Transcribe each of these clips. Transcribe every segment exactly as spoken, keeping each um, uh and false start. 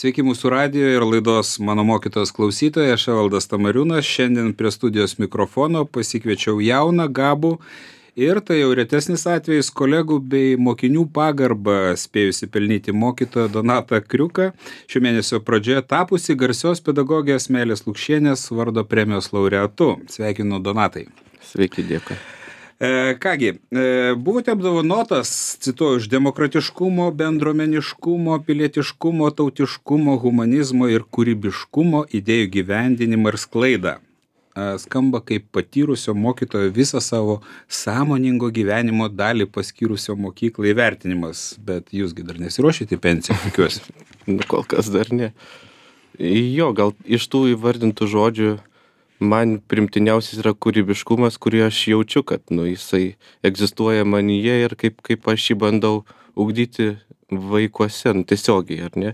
Sveiki mūsų radijo ir laidos Mano mokytojas klausytojai, aš Evaldas Tamariūnas. Šiandien prie studijos mikrofono pasikviečiau jauną, gabų ir tai jau retesnis atvejis kolegų bei mokinių pagarbą spėjusi pelnyti mokytoją Donatą Kriuką, šio mėnesio pradžioje tapusi garsios pedagogės Meilės Lukšienės vardo premijos laureatu. Sveikinu, Donatai. Sveiki, dėkui. E, kągi, e, buvote apdovanotas, cituoju, už demokratiškumo, bendruomeniškumo, pilietiškumo, tautiškumo, humanizmo ir kūrybiškumo idėjų gyvendinimą ir sklaidą. E, skamba kaip patyrusio mokytojo visą savo sąmoningo gyvenimo dalį paskyrusio mokyklai įvertinimas, bet jūsgi dar nesiruošite į pensiją, tikiuosi. Nu, kol kas dar ne. Jo, gal iš tų įvardintų žodžių man primtiniausias yra kūrybiškumas, kurį aš jaučiu, kad nu, jisai egzistuoja manyje ir kaip, kaip aš jį bandau ugdyti vaikuose, nu, tiesiogiai, ar ne,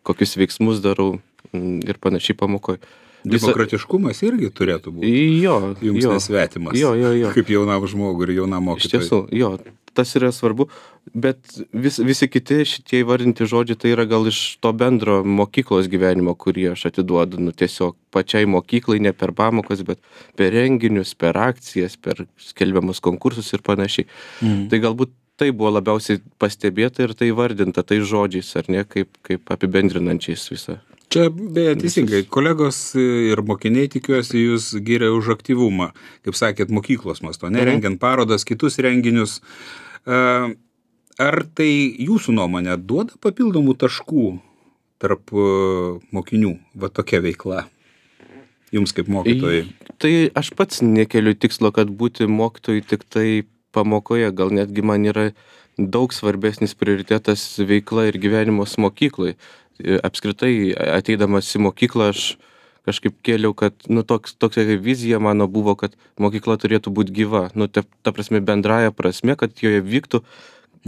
kokius veiksmus darau ir panašiai pamokoje. Demokratiškumas irgi turėtų būti. Jo, jums jo, nesvetimas. Jo, jo, jo. Kaip jaunam žmogui ir jaunam mokytojui. Iš tiesų, jo, tas yra svarbu, bet vis, visi kiti šitie įvardinti žodžiai tai yra gal iš to bendro mokyklos gyvenimo, kurį aš atiduodu, nu, tiesiog pačiai mokyklai, ne per pamokas, bet per renginius, per akcijas, per skelbiamus konkursus ir panašiai. Mm. Tai galbūt tai buvo labiausiai pastebėta ir tai įvardinta tai žodžiais, ar ne, kaip, kaip apibendrinančiais visą. Čia beje teisingai, kolegos ir mokiniai, tikiuosi, jūs giria už aktyvumą, kaip sakėt, mokyklos masto, nerengiant parodas, kitus renginius. Ar tai jūsų nuomonė duoda papildomų taškų tarp mokinių, va tokia veikla, jums kaip mokytojai? Tai aš pats nekeliu tikslo, kad būti mokytojui tik tai pamokoje, gal netgi man yra daug svarbesnis prioritetas veikla ir gyvenimas mokyklai. Apskritai, ateidamas į mokyklą, aš kažkaip kėliau, kad, nu, toks, tokia vizija mano buvo, kad mokykla turėtų būti gyva. Nu, ta, ta prasme, bendraja prasme, kad joje vyktų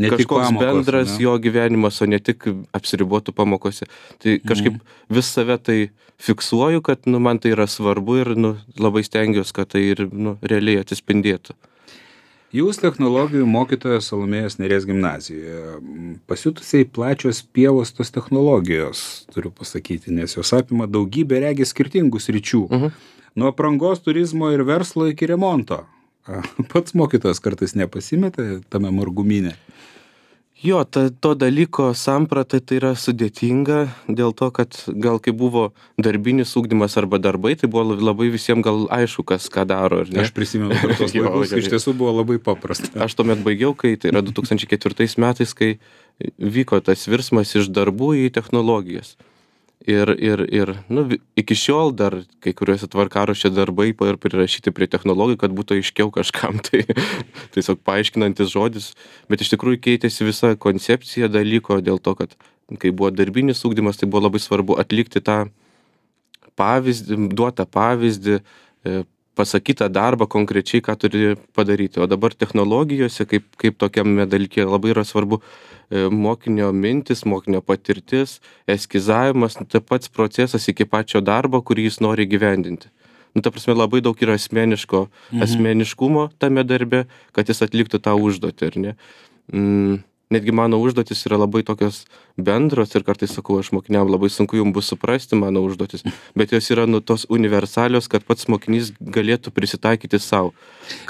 ne kažkoks pamokos, bendras ne? Jo gyvenimas, o ne tik apsiribotų pamokose. Tai kažkaip mhm. vis save tai fiksuoju, kad, nu, man tai yra svarbu ir, nu, labai stengiuosi, kad tai ir, nu, realiai atsispindėtų. Jūs technologijų mokytojas Salomėjos Nėries gimnazijoje. Pasiutusiai plačios pievos tos technologijos, turiu pasakyti, nes jos apima daugybę regis skirtingų sričių. Uh-huh. Nuo aprangos, turizmo ir verslo iki remonto. Pats mokytojas kartais nepasimeta tame margumyne. Jo, ta, to dalyko samprata tai yra sudėtinga dėl to, kad gal kai buvo darbinis ugdymas arba darbai, tai buvo labai visiems gal aišku, kas ką daro. Aš prisimenu tos laikus, iš tiesų buvo labai paprasta. Aš tuomet baigiau, kai tai yra du tūkstančiai ketvirtais metais, kai vyko tas virsmas iš darbų į technologijas. Ir, ir, ir nu, iki šiol dar kai kuriuose tvarkaraščio darbai ir prirašyti prie technologijų, kad būtų aiškiau kažkam, tai tiesiog paaiškinantis žodis, bet iš tikrųjų keitėsi visa koncepcija dalyko dėl to, kad kai buvo darbinis ugdymas, tai buvo labai svarbu atlikti tą pavyzdį, duotą pavyzdį, pasakytą darbą konkrečiai, ką turi padaryti. O dabar technologijose, kaip, kaip tokiame dalyke, labai yra svarbu mokinio mintis, mokinio patirtis, eskizavimas, nu, tai pats procesas iki pačio darbo, kurį jis nori gyvendinti. Nu, ta prasme, labai daug yra asmeniško, mhm. asmeniškumo tame darbe, kad jis atliktų tą užduotį, ar ne? Mm. Netgi mano užduotis yra labai tokios bendros ir kartais sakau, aš mokiniam labai sunku jums bus suprasti mano užduotis, bet jos yra nu tos universalios, kad pats mokinys galėtų prisitaikyti savo.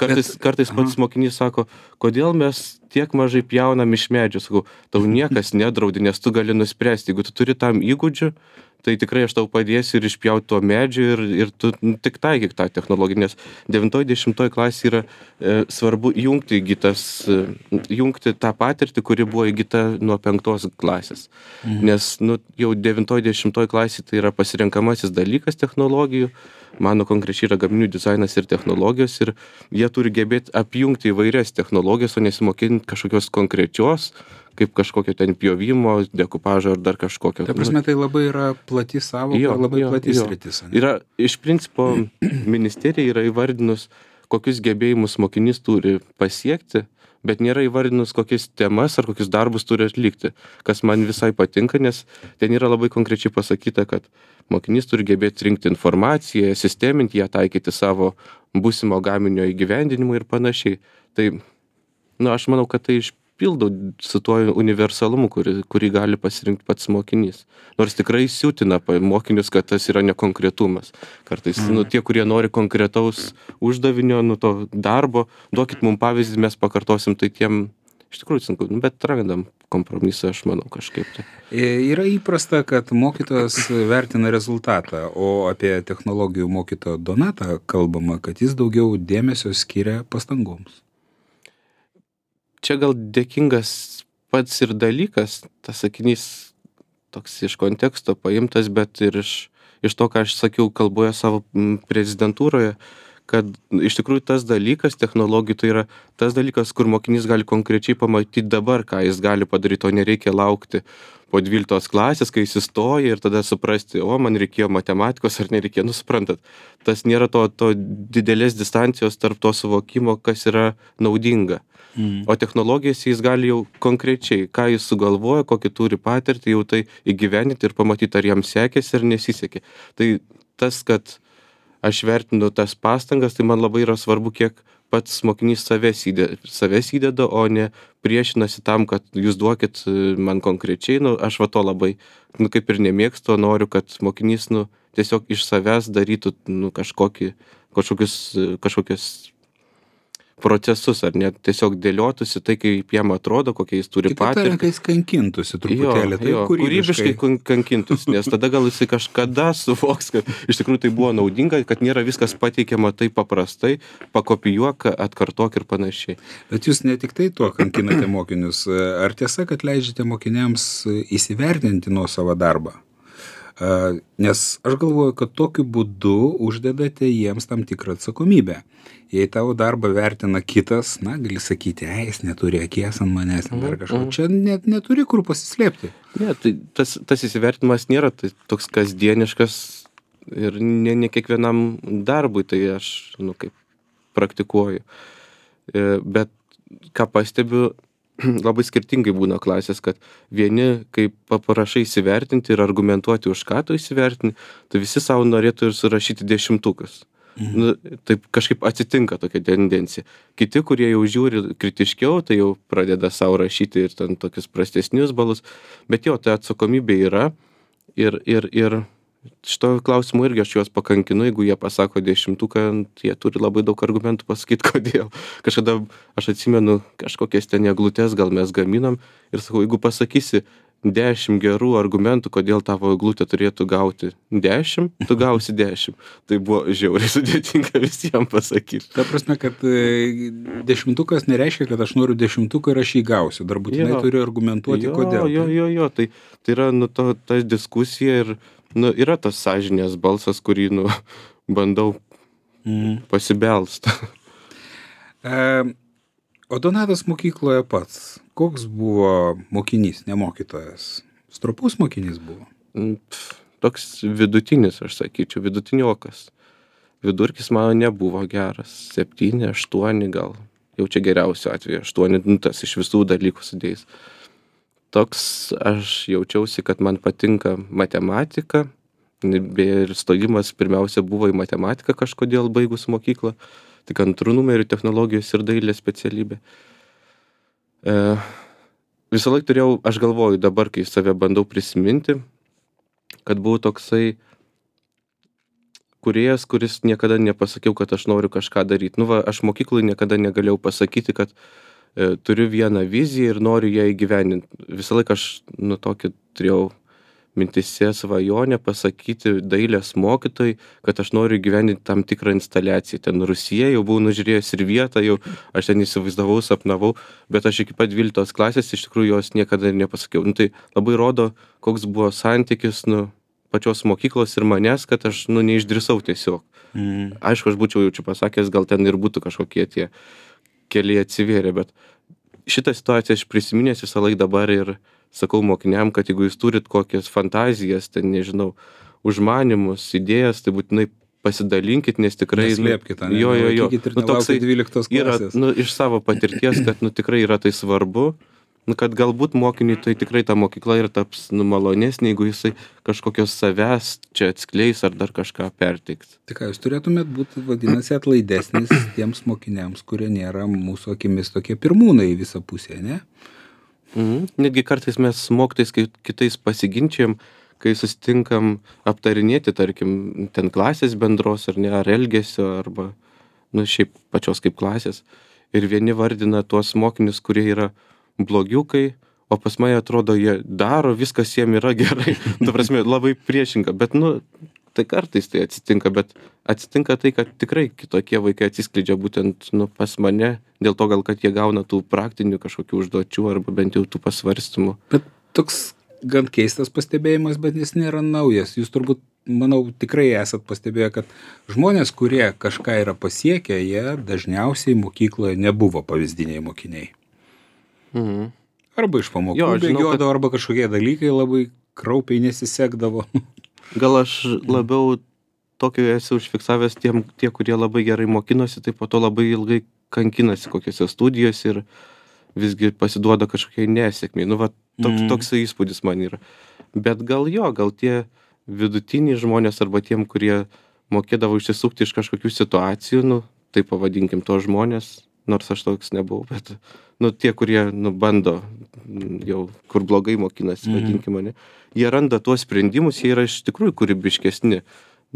Kartais, bet, kartais pats aha. mokinys sako, kodėl mes tiek mažai pjaunam iš medžių, sakau, tau niekas nedraudi, nes tu gali nuspręsti, jeigu tu turi tam įgūdžių, tai tikrai aš tau padėsiu ir išpjauti to medžių ir, ir tu nu, tik taikyk tą technologiją, nes devintoj dešimtoj klasė yra e, svarbu jungti, įgytas, e, jungti tą patirtį, kuri buvo įgyta nuo penktos klasės. Mhm. Nes nu, jau devintoj dešimtoj klasė tai yra pasirenkamasis dalykas technologijų, mano konkrečiai yra gaminių dizainas ir technologijos ir jie turi gebėti apjungti įvairias technologijas, o nesimokinti kažkokios konkrečios, kaip kažkokio ten pjovimo, dekupažo ar dar kažkokio. Ta prasme, tai labai yra plati savoka ir labai jo, plati sritis. Yra, iš principo, ministerija yra įvardinus, kokius gebėjimus mokinys turi pasiekti, bet nėra įvardinus, kokias temas ar kokius darbus turi atlikti, kas man visai patinka, nes ten yra labai konkrečiai pasakyta, kad mokinys turi gebėti rinkti informaciją, sisteminti ją, taikyti savo būsimo gaminio įgyvendinimui ir panašiai. Tai, nu, aš manau, kad tai iš nesipildo su tuo universalumu, kurį, kurį gali pasirinkti pats mokinys. Nors tikrai siūtina mokinius, kad tas yra nekonkretumas. Kartais, mm. nu, tie, kurie nori konkretaus uždavinio, nu, to darbo, duokit mums pavyzdį, mes pakartosim, tai tiem iš tikrųjų sunku, nu, bet randam kompromisą, aš manau, kažkaip tai. Yra įprasta, kad mokytojas vertina rezultatą, o apie technologijų mokytoją Donatą kalbama, kad jis daugiau dėmesio skiria pastangoms. Čia gal dėkingas pats ir dalykas, tas sakinys toks iš konteksto paimtas, bet ir iš, iš to, ką aš sakiau kalboje savo prezidentūroje, kad iš tikrųjų tas dalykas technologijų tai yra tas dalykas, kur mokinys gali konkrečiai pamatyti dabar, ką jis gali padaryti, o nereikia laukti po dvyliktos klasės, kai jis įstoja ir tada suprasti, o man reikėjo matematikos ar nereikėjo, nu suprantat, tas nėra to, to didelės distancijos tarp to suvokimo, kas yra naudinga. Mm. O technologijas jis gali jau konkrečiai, ką jis sugalvoja, kokį turi patirtį, jau tai įgyveninti ir pamatyti, ar jam sekėsi ar nesisekė. Tai tas, kad aš vertinu tas pastangas, tai man labai yra svarbu, kiek pats mokinys savęs įdeda, savęs įdeda, o ne priešinasi tam, kad jūs duokit man konkrečiai, nu, aš va to labai, nu, kaip ir nemėgstu, noriu, kad mokinys, nu, tiesiog iš savęs darytų, nu, kažkokį, kažkokius, kažkokius procesus, ar net tiesiog dėliotųsi tai, kaip jam atrodo, kokie jis turi patirtį. Kitaip tariant, kai jis kankintųsi truputėlį, tai jo, kūrybiškai kankintųsi, nes tada gal jisai kažkada suvoks, kad iš tikrųjų tai buvo naudinga, kad nėra viskas pateikiama taip paprastai, pakopijuok, atkartok ir panašiai. Bet jūs ne tik tai tuo kankinate mokinius, ar tiesa, kad leidžiate mokiniams įsivertinti nuo savo darbą? Nes aš galvoju, kad tokiu būdu uždedate jiems tam tikrą atsakomybę. Jei tavo darbą vertina kitas, na, gali sakyti, ei, jis neturi akies ant manęs, mm, ar kažko. Mm. Čia net neturi kur pasislėpti. Ne, tai tas, tas įsivertinimas nėra tai toks kasdieniškas ir ne, ne kiekvienam darbui, tai aš, nu, kaip praktikuoju. Bet ką pastebiu, labai skirtingai būna klasės, kad vieni, kai paprašai įsivertinti ir argumentuoti, už ką tu įsivertini, tai visi savo norėtų ir surašyti dešimtukas. Mhm. Nu, taip kažkaip atsitinka tokia tendencija. Kiti, kurie jau žiūri kritiškiau, tai jau pradeda savo rašyti ir ten tokius prastesnius balus, bet jo, tai atsakomybė yra ir, ir, ir šito klausimu irgi aš juos pakankinu, jeigu jie pasako dešimtuką, jie turi labai daug argumentų pasakyti, kodėl. Kažkada aš atsimenu kažkokias ten eglutes, gal mes gaminam ir sakau, jeigu pasakysi dešimt gerų argumentų, kodėl tavo eglutė turėtų gauti dešimt, tu gausi dešimt. Tai buvo žiauriai sudėtinga visiems pasakyti. Ta prasme, kad dešimtukas nereiškia, kad aš noriu dešimtuką ir aš jį gausiu. Dar būtinai turiu argumentuoti, jo, kodėl. Jo, jo, jo, tai, tai yra nu, to, ta diskusija ir nu, yra tas sąžinės balsas, kurį nu, bandau mm. pasibelst. E, o Donatas mokykloje pats, koks buvo mokinys, ne mokytojas? Stropus mokinys buvo? Pff, toks vidutinis, aš sakyčiau, vidutiniokas. Vidurkis mano nebuvo geras. Septyni, aštuoni gal. Jau čia geriausio atveju. Aštuoni, nu, tas iš visų dalykų sudėjus. Toks aš jaučiausi, kad man patinka matematika. Ir stojimas pirmiausia buvo į matematiką kažkodėl baigus mokyklą. Tik antrų numerių technologijos ir dailės specialybė. E, visą laiką turėjau, aš galvoju dabar, kai save bandau prisiminti, kad buvau toksai kūrėjas, kuris niekada nepasakiau, kad aš noriu kažką daryti. Nu va, aš mokyklai niekada negalėjau pasakyti, kad e, turiu vieną viziją ir noriu ją įgyvendinti. Visą laiką aš nu tokį turėjau mintise svajonę pasakyti dailės mokytojai, kad aš noriu įgyvendinti tam tikrą instaliaciją. Ten Rusija, jau buvau nužiūrėjęs ir vietą, jau aš ten įsivaizdavau, sapnavau, bet aš iki pat dvyliktos klasės iš tikrųjų jos niekada nepasakiau. Nu, tai labai rodo, koks buvo santykis nu, pačios mokyklos ir manęs, kad aš nu, neišdrįsau tiesiog. Mm. Aišku, aš būčiau jau čia pasakęs, gal ten ir būtų kažkokie tie keliai atsivėrė, bet šitą situaciją aš prisiminęs visą laiką dabar ir sakau mokiniam, kad jeigu jūs turit kokias fantazijas, ten nežinau, užmanimus, idėjas, tai būtinai pasidalinkit, nes tikrai... Neslėpkit, ne? Jo, jo, jo. Nu, toksai dvyliktos klasės. Yra, nu, iš savo patirties, kad nu, tikrai yra tai svarbu nu, kad galbūt mokiniui tai tikrai ta mokykla ir taps nu, malonesnė, jeigu jisai kažkokios savęs čia atskleis ar dar kažką perteiks. Tai ką, jūs turėtumėt būti, vadinasi, atlaidesnis tiems mokiniams, kurie nėra mūsų akimis tokie pirmūnai į visą pusę, ne? Mhm. Netgi kartais mes su mokytojais kitais pasiginčiam, kai susitinkam aptarinėti, tarkim, ten klasės bendros ar ne, ar elgesio, arba, nu, šiaip pačios kaip klasės. Ir vieni vardina tuos mokinius, kurie yra blogiukai, o pas mane atrodo, jie daro, viskas jiem yra gerai. Ta prasme, labai priešinga. Bet, nu, tai kartais tai atsitinka, bet atsitinka tai, kad tikrai kitokie vaikai atsiskleidžia būtent, nu, pas mane, dėl to gal, kad jie gauna tų praktinių kažkokių užduočių arba bent jau tų pasvarstymų. Bet toks gan keistas pastebėjimas, bet jis nėra naujas. Jūs turbūt, manau, tikrai esat pastebėję, kad žmonės, kurie kažką yra pasiekę, jie dažniausiai mokykloje nebuvo pavyzdiniai mokiniai. Mhm. Arba iš pamokų bėgiodavo, kad... arba kažkokie dalykai labai kraupiai nesisekdavo. Gal aš labiau tokio esu užfiksavęs tiem, tie, kurie labai gerai mokinosi, tai po to labai ilgai kankinasi kokiose studijose ir visgi pasiduoda kažkokiai nesėkmiai. Nu, va, toks, mm. toks įspūdis man yra. Bet gal jo, gal tie vidutiniai žmonės arba tiem, kurie mokėdavo išsisukti iš kažkokių situacijų, nu, tai pavadinkim to žmonės, nors aš toks nebuvau, bet, nu, tie, kurie, nu, bando jau, kur blogai mokinasi, mm. vadinkim mane, jie randa tuos sprendimus, jie yra iš tikrųjų kūrybiškesni,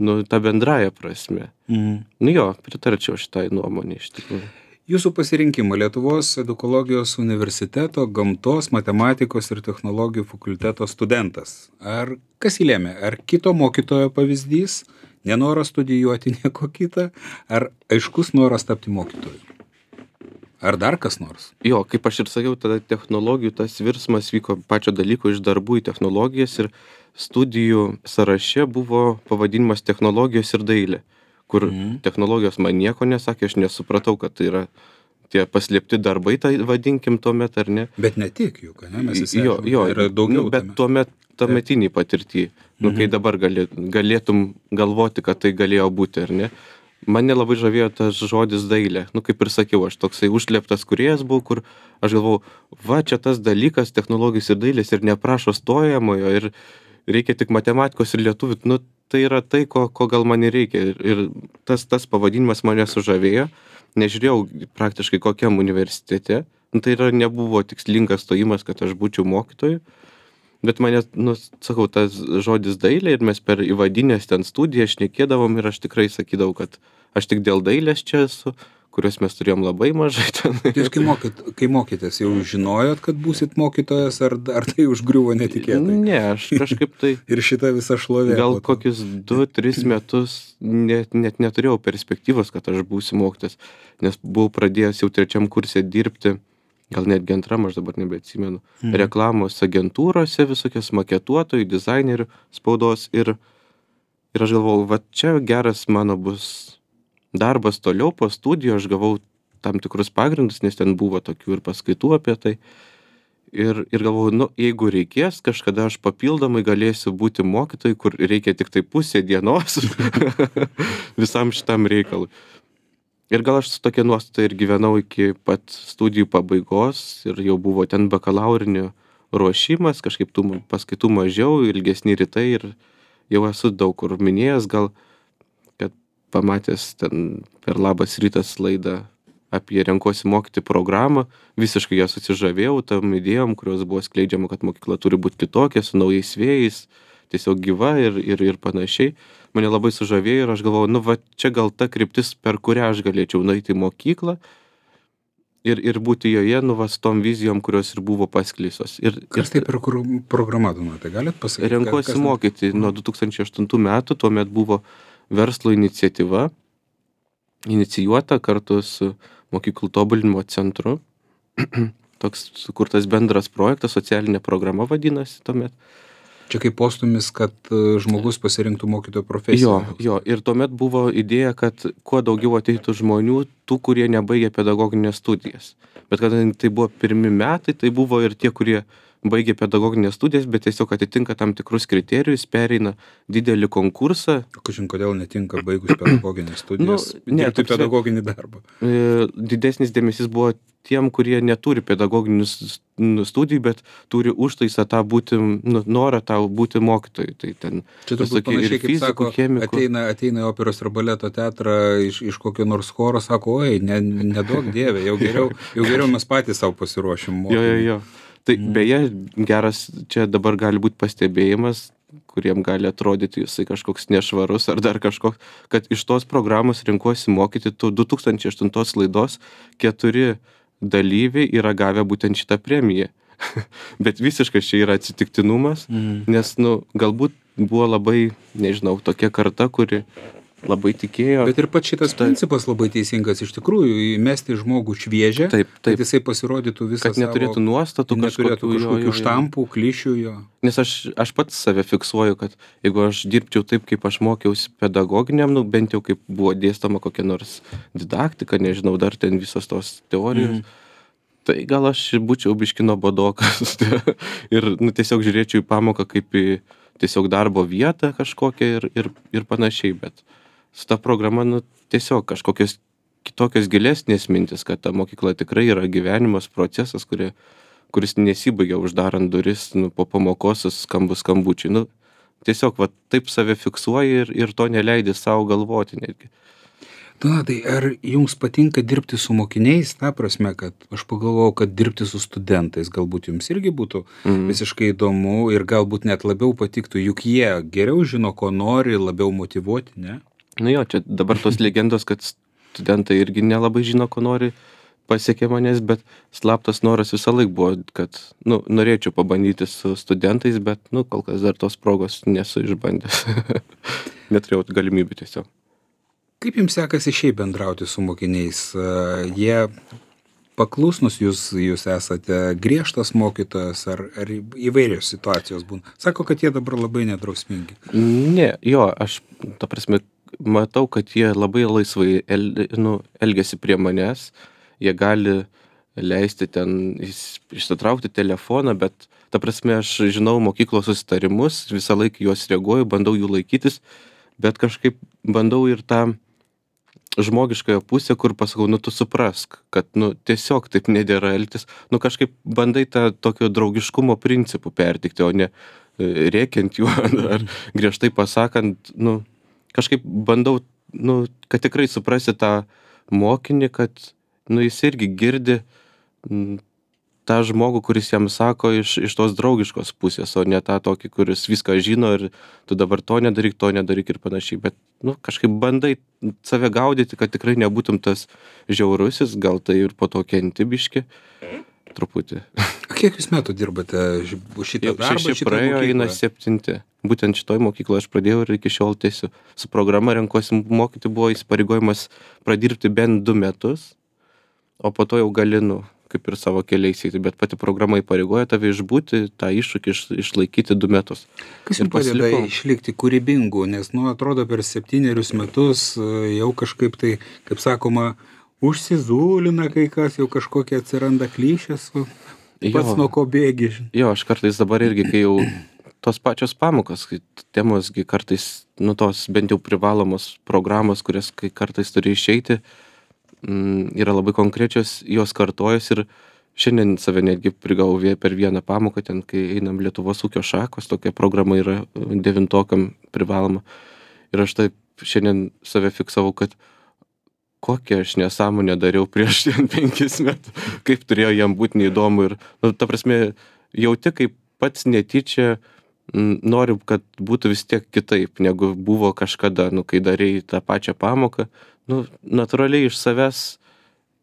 nu, ta bendraja prasme. Mm. Nu jo, pritarčiau šitai nuomonė iš tikrųjų. Jūsų pasirinkimą Lietuvos edukologijos universiteto gamtos, matematikos ir technologijų fakulteto studentas. Ar kas įlėmė? Ar kito mokytojo pavyzdys, nenoras studijuoti nieko kitą, ar aiškus noras tapti mokytoju? Ar dar kas nors? Jo, kaip aš ir sakiau, tada technologijų tas virsmas vyko pačio dalyko iš darbų į technologijas ir studijų sąraše buvo pavadinimas technologijos ir dailė, kur mm. technologijos man nieko nesakė, aš nesupratau, kad tai yra tie paslėpti darbai, tai vadinkim tuomet, ar ne? Bet ne tik juk, ne? Mes įsiaiškinome, jo, jo, yra daugiau. Nu, bet tuomet tuometiniai patirtį, nu, mm-hmm. kai dabar gali, galėtum galvoti, kad tai galėjo būti, ar ne? Mane labai žavėjo tas žodis dailė. Nu, kaip ir sakiau, aš toksai užslėptas kūrėjas buvau, kur aš galvau, va, čia tas dalykas, technologijos ir dailės ir neprašo stojamojo ir reikia tik matematikos ir lietuvių. Nu, tai yra tai, ko, ko gal man reikia. Ir, ir tas, tas pavadinimas mane sužavėjo. Nežiūrėjau praktiškai kokiam universitete. Nu, tai yra, nebuvo tikslingas stojimas, kad aš būčiau mokytoju. Bet mane, nu, sakau, tas žodis dailė ir mes per įvadinės ten studiją šnekėdavom ir aš tikrai sakydavau, kad aš tik dėl dailės čia esu, kurios mes turėjom labai mažai ten. Jūs kai, mokyt, kai mokytės, jau žinojot, kad būsit mokytojas, ar, ar tai užgriuvo netikėtai? Ne, aš kažkaip tai... ir šitą visą šlovę. Gal kokius du, tris metus net, net neturėjau perspektyvos, kad aš būsiu mokytojas, nes buvau pradėjęs jau trečiam kurse dirbti, gal netgi antram, aš dabar nebeatsimenu, mm. reklamos agentūrose, visokios maketuotojų, dizainerių spaudos ir, ir aš galvojau, va čia geras mano bus darbas toliau po studijų, aš gavau tam tikrus pagrindus, nes ten buvo tokių ir paskaitų apie tai ir, ir galvojau, nu, jeigu reikės, kažkada aš papildomai galėsiu būti mokytojai, kur reikia tik tai pusė dienos visam šitam reikalui. Ir gal aš su tokia nuostata ir gyvenau iki pat studijų pabaigos ir jau buvo ten bakalaurinio ruošimas, kažkaip tų paskaitų mažiau, ilgesni rytai ir jau esu daug kur minėjęs, gal, kad pamatęs ten per Labas rytas laidą apie renkuosi mokyti programą, visiškai ją susižavėjau tam idėjom, kurios buvo skleidžiama, kad mokykla turi būti kitokia, su naujais vėjais, tiesiog gyva ir, ir, ir panašiai. Mane labai sužavėjo ir aš galvojau, nu va čia gal ta kryptis, per kurią aš galėčiau nueiti į mokyklą ir, ir būti joje, nu va su tom vizijom, kurios ir buvo pasklysos. Ir, kas tai per programą, tai galit pasakyti? Renkuosi kas... mokyti nuo du tūkstančiai aštuntų metų, tuomet buvo verslo iniciatyva, inicijuota kartu su mokyklų tobulinimo centru. Toks sukurtas bendras projektas, socialinė programa vadinasi tuomet. Čia kaip postumis, kad žmogus pasirinktų mokytojo profesiją. Jo, jo, ir tuomet buvo idėja, kad kuo daugiau ateitų žmonių, tų, kurie nebaigė pedagoginės studijas. Bet kadangi tai buvo pirmi metai, tai buvo ir tie, kurie baigia pedagoginės studijas, bet tiesiog atitinka tam tikrus kriterijus, pereina didelį konkursą. Kažin, kodėl netinka baigus pedagoginės studijas, Nu, ne, dirbti ta prasme- pedagoginį darbą. E, Didesnis dėmesys buvo tiem, kurie neturi pedagoginių s- nu, studijų, bet turi užtaisą tą būti, nu, norą tą būti mokytoju. Tai ten Čia turbūt visokie ir panašiai, kaip fizikų, sako, chemikų. ateina, ateina į operos ir baleto teatrą iš, iš kokio nors choro, sako, oi, ne, neduok dievė, jau geriau, jau geriau mes patys savo pasiruošim Jo, jo, mokymui. jo. Tai beje, geras čia dabar gali būti pastebėjimas, kuriem gali atrodyti jisai kažkoks nešvarus ar dar kažkoks, kad iš tos programos rinkuosi mokyti tų du tūkstančiai aštuntos laidos keturi dalyviai yra gavę būtent šitą premiją. Bet visiškai čia yra atsitiktinumas, Mhm. nes, nu, galbūt buvo labai, nežinau, tokia karta, kuri labai tikėjo. Bet ir pats šitas Tai- principas labai teisingas, iš tikrųjų, įmesti žmogų šviežią, Taip, kad taip, jisai pasirodytų visą kad neturėtų nuostatų neturėtų kažkokių, jo, kažkokių jo, jo. štampų, klišių jo. Nes aš, aš pats save fiksuoju, kad jeigu aš dirbčiau taip, kaip aš mokiausi pedagoginiam, nu, bent jau kaip buvo dėstoma kokia nors didaktika, nežinau, dar ten visos tos teorijos, Mhm. tai gal aš būčiau biški nuobodokas ir, nu, tiesiog žiūrėčiau į pamoką kaip į tiesiog darbo vietą kažkokią ir, ir, ir panašiai, bet su ta programa, nu, tiesiog kažkokios kitokios gilesnės mintis, kad ta mokykla tikrai yra gyvenimas, procesas, kurie, kuris nesibaigia uždarant duris, nu, po pamokos su skambu skambučiai. Nu, tiesiog va, taip save fiksuoji ir, ir to neleidi savo galvoti netgi. Na, tai ar jums patinka dirbti su mokiniais, ta prasme, kad aš pagalvojau, kad dirbti su studentais galbūt jums irgi būtų Mhm. visiškai įdomu ir galbūt net labiau patiktų, juk jie geriau žino, ko nori, labiau motyvuoti, ne? Nu jo, čia dabar tos legendos, kad studentai irgi nelabai žino, ko nori, pasiekė manęs, bet slaptas noras visą laik buvo, kad, nu, norėčiau pabandyti su studentais, bet, nu, kol kas dar tos progos nesu išbandęs. Neturėjau galimybių tiesiog. Kaip jums sekasi šiaip bendrauti su mokiniais? A, Jie paklusnus, jūs, jūs esate griežtas mokytojas ar, ar įvairios situacijos būna? Sako, kad jie dabar labai nedrausmingi. Ne, jo, aš, ta prasme, matau, kad jie labai laisvai el, nu, elgiasi prie manęs, jie gali leisti ten is- išsitraukti telefoną, bet, ta prasme, aš žinau mokyklos susitarimus, visą laiką juos reaguoju, bandau jų laikytis, bet kažkaip bandau ir tą žmogiškąją pusę, kur pasakau, nu tu suprask, kad, nu, tiesiog taip nedėra elgtis, nu kažkaip bandai tą tokio draugiškumo principų pertikti, o ne e, rėkiant jų ar griežtai pasakant, nu, kažkaip bandau, nu, kad tikrai suprasi tą mokinį, kad, nu, jis irgi girdi m, tą žmogų, kuris jam sako iš, iš tos draugiškos pusės, o ne tą tokį, kuris viską žino ir tu dabar to nedaryk, to nedaryk ir panašiai. Bet, nu, kažkaip bandai save gaudyti, kad tikrai nebūtum tas žiaurusis, gal tai ir po to kenti biški, truputį. A kiek jūs metų dirbate ži- šitą Jau darbą? šeši šitą praėjo, mokyklą? eina septinti. Būtent šitoj mokykloje aš pradėjau ir iki šiol tiesiu. Su programa renkuosi mokyti buvo įsipareigojimas pradirbti bent du metus, o po to jau gali, nu, kaip ir savo keliais eiti, bet pati programa įpareigoja tave išbūti, tą iššūkį iš, išlaikyti du metus. Kas ir jums padeda pasilikau. išlikti kūrybingu, nes, nu, atrodo, per septynerius metus e, jau kažkaip tai, kaip sakoma, užsizūlina kai kas, jau kažkokie atsiranda klišės, o pats Jo. nuo ko bėgi. Jo, aš kartais dabar irgi, kai jau tos pačios pamokos, kai temosgi kartais, nu, tos bent jau privalomos programos, kurias kai kartais turi išeiti, mm, yra labai konkrečios, jos kartojas ir šiandien save netgi prigavau vie- per vieną pamoką, ten, kai einam Lietuvos ūkio šakos, tokia programa yra e, devintokam privaloma. Ir aš taip šiandien save fiksavau, kad kokią aš nesąmonę dariau prieš ten penkis metus, kaip turėjo jam būti neįdomu ir, nu, ta prasme, jauti, kaip pats netyčia m, noriu, kad būtų vis tiek kitaip, negu buvo kažkada, nu, kai darėjai tą pačią pamoką, nu, natūraliai iš savęs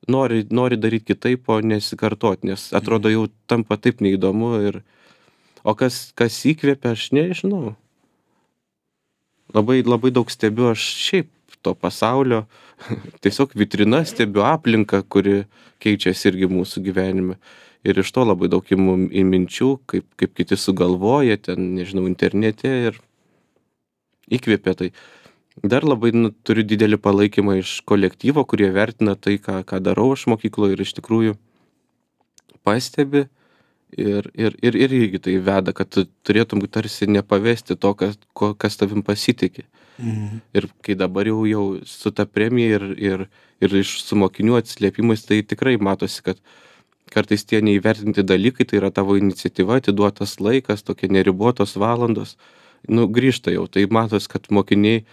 nori, nori daryti kitaip, o nesikartoti, nes atrodo jau tampa taip neįdomu ir, o kas, kas įkvėpia, aš nežinau. Labai, labai daug stebiu aš šiaip to pasaulio, tiesiog vitrina stebiu aplinką, kuri keičiasi irgi mūsų gyvenime. Ir iš to labai daug imu į minčių, kaip, kaip kiti sugalvoja, ten, nežinau, internete ir įkvėpia tai. Dar labai, nu, turiu didelį palaikymą iš kolektyvo, kurie vertina tai, ką, ką darau aš mokykloje ir iš tikrųjų pastebi Ir, ir, ir, ir irgi tai veda, kad tu turėtum tarsi nepavesti to, kas, ko, kas tavim pasitikė. Mhm. Ir kai dabar jau, jau su ta premija ir, ir, ir iš su mokinių atsiliepimais, tai tikrai matosi, kad kartais tie neįvertinti dalykai, tai yra tavo iniciatyva, atiduotas laikas, tokie neribotos valandos, nu, grįžta jau. Tai matos, kad mokiniai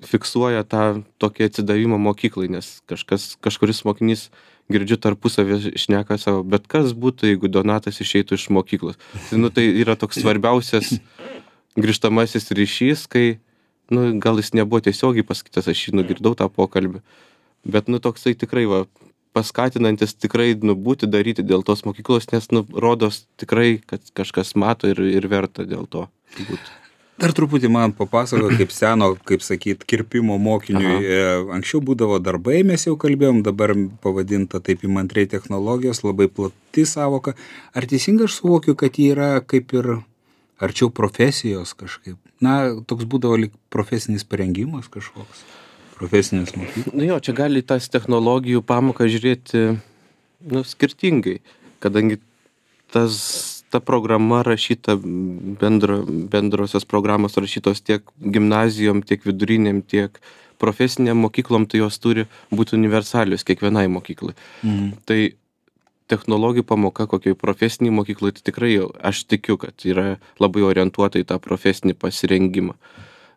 fiksuoja tą tokį atsidavimą mokyklai, nes kažkas, kažkuris mokinys, girdžiu, tarpusavį šneka savo, bet kas būtų, jeigu Donatas išeitų iš mokyklos. Tai, nu, tai yra toks svarbiausias grįžtamasis ryšys, kai, nu, gal jis nebuvo tiesiogiai pasakytas, aš jį nugirdau tą pokalbį, bet, nu, toksai tikrai, va, paskatinantis tikrai, nu, būti daryti dėl tos mokyklos, nes, nu, rodos tikrai, kad kažkas mato ir, ir verta dėl to būti. Dar truputį man papasako, kaip seno, kaip sakyt, kirpimo mokiniui. Aha. Anksčiau būdavo darbai, mes jau kalbėjom, dabar pavadinta taip įmantriai technologijos, labai plati savoka. Ar teisingai aš suvokiu, kad jie yra kaip ir arčiau profesijos kažkaip? Na, toks būdavo lyg profesinis parengimas kažkoks, profesinis mokyklas. Nu jo, čia gali tas technologijų pamoką žiūrėti, nu, skirtingai, kadangi tas ta programa rašyta, bendro, bendrosios programos rašytos tiek gimnazijom, tiek viduriniam, tiek profesiniam mokyklom, tai jos turi būti universalios kiekvienai mokyklai. Mhm. Tai technologijų pamoka kokiai profesiniai mokyklai, tai tikrai aš tikiu, kad yra labai orientuota į tą profesinį pasirengimą.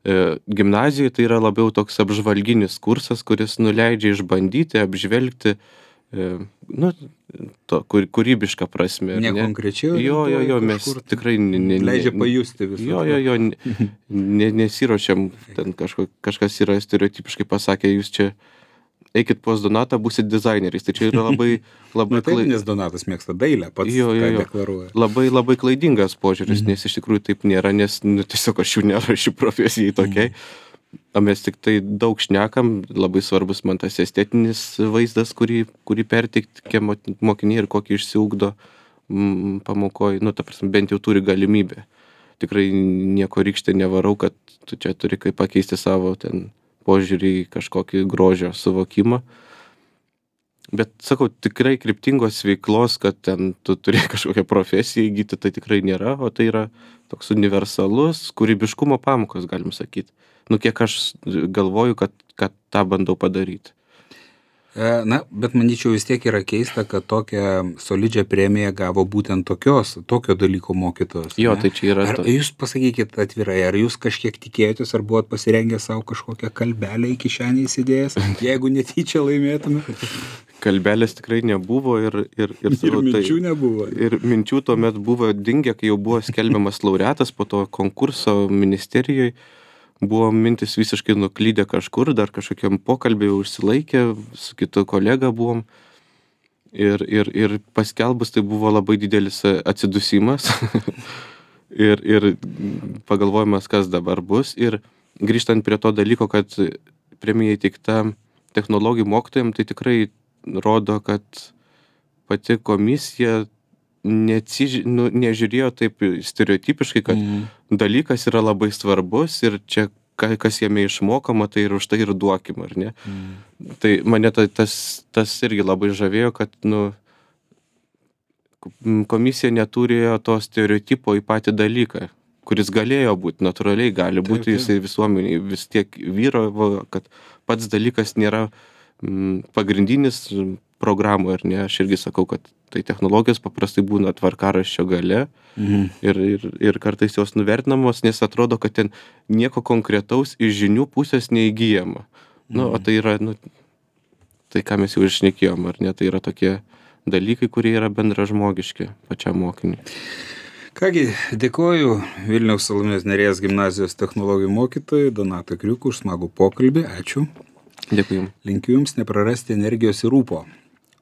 E, gimnazijoje tai yra labiau toks apžvalginis kursas, kuris nuleidžia išbandyti, apžvelgti, nu, to, kur, kūrybišką prasme. Ne, ne? Konkrečiau? Jo, jo, jo, mes kažkur, tikrai... Ne, ne, leidžia pajusti visą. Jo, jo, jo, ne, ne, nesiruošiam, ten kažko, kažkas yra stereotipiškai pasakė, jūs čia eikit pas Donatą, būsit dizaineriais. Tai čia yra labai... labai Na, taip, nes Donatas mėgsta dailę, pats jo, jo, jo. deklaruoja. Labai, labai klaidingas požiūris, Mhm. nes iš tikrųjų taip nėra, nes, nu, tiesiog aš jų nerašiu profesijai tokiai. Mhm. O mes tik tai daug šnekam, labai svarbus man tas estetinis vaizdas, kurį, kurį perteikti mokiniai ir kokį išsiugdo mm, pamokoj, nu, ta prasme, bent jau turi galimybę. Tikrai nieko rykštė nevarau, kad tu čia turi kaip pakeisti savo ten požiūrį į kažkokį grožio suvokimą. Bet, sakau, tikrai kryptingos veiklos, kad ten tu turi kažkokią profesiją įgyti, tai tikrai nėra, o tai yra toks universalus kūrybiškumo pamokos, galim sakyti. Nu, kiek aš galvoju, kad, kad tą bandau padaryti. Na, bet manyčiau vis tiek yra keista, kad tokią solidžią premiją gavo būtent tokios, tokio dalyko mokytojos. Jo, ne? tai čia yra... Ar to... jūs pasakykit atvirai, ar jūs kažkiek tikėjotės, ar buvot pasirengę savo kažkokią kalbelę į kišenę įsidėjęs, jeigu netyčia laimėtume? Kalbelės tikrai nebuvo ir... Ir, ir, ir savo, minčių tai, nebuvo. Ir minčių tuomet buvo dingę, kai jau buvo skelbiamas laureatas po to konkurso ministerijoje. Buvo mintis visiškai nuklydę kažkur, dar kažkokiam pokalbį jau užsilaikė, su kitu kolega buvom. Ir, ir, ir paskelbus tai buvo labai didelis atsidusimas. ir, ir pagalvojimas, kas dabar bus. Ir grįžtant prie to dalyko, kad premija įteikta technologijų mokytojams, tai tikrai rodo, kad pati komisija neatsiž... nu, nežiūrėjo taip stereotipiškai, kad mm. dalykas yra labai svarbus ir čia kas jame išmokama, tai ir už tai ir duokim, ar ne? Mm. Tai mane tas, tas irgi labai žavėjo, kad nu, komisija neturėjo to stereotipo į patį dalyką, kuris galėjo būti, natūraliai gali būti, taip, taip. Jisai visuomeniai vis tiek vyravo, kad pats dalykas nėra mm, pagrindinis programų, ar ne? Aš irgi sakau, kad tai technologijos paprastai būna tvarkaraščio gale mhm. ir, ir, ir kartais jos nuvertinamos, nes atrodo, kad ten nieko konkretaus iš žinių pusės neįgyjama. Mhm. Nu, o tai yra, nu, tai ką mes jau iššnekėjom, ar ne? Tai yra tokie dalykai, kurie yra bendražmogiški pačiam mokiniui. Kągi, dėkoju Vilniaus Salomėjos Nėries gimnazijos technologijų mokytojui Donatui Kriukui už smagų pokalbį. Ačiū. Dėkui jums. Linkiu jums neprarasti energijos ir rūpo.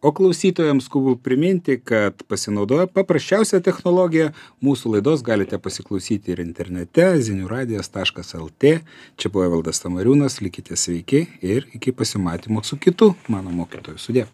O klausytojams skubu priminti, kad pasinaudoję paprasčiausią technologiją, mūsų laidos galite pasiklausyti ir internete ziniuradijas taškas lt. Čia buvo Evaldas Tamariūnas, likite sveiki ir iki pasimatymo su kitu mano mokytoju. Sudie.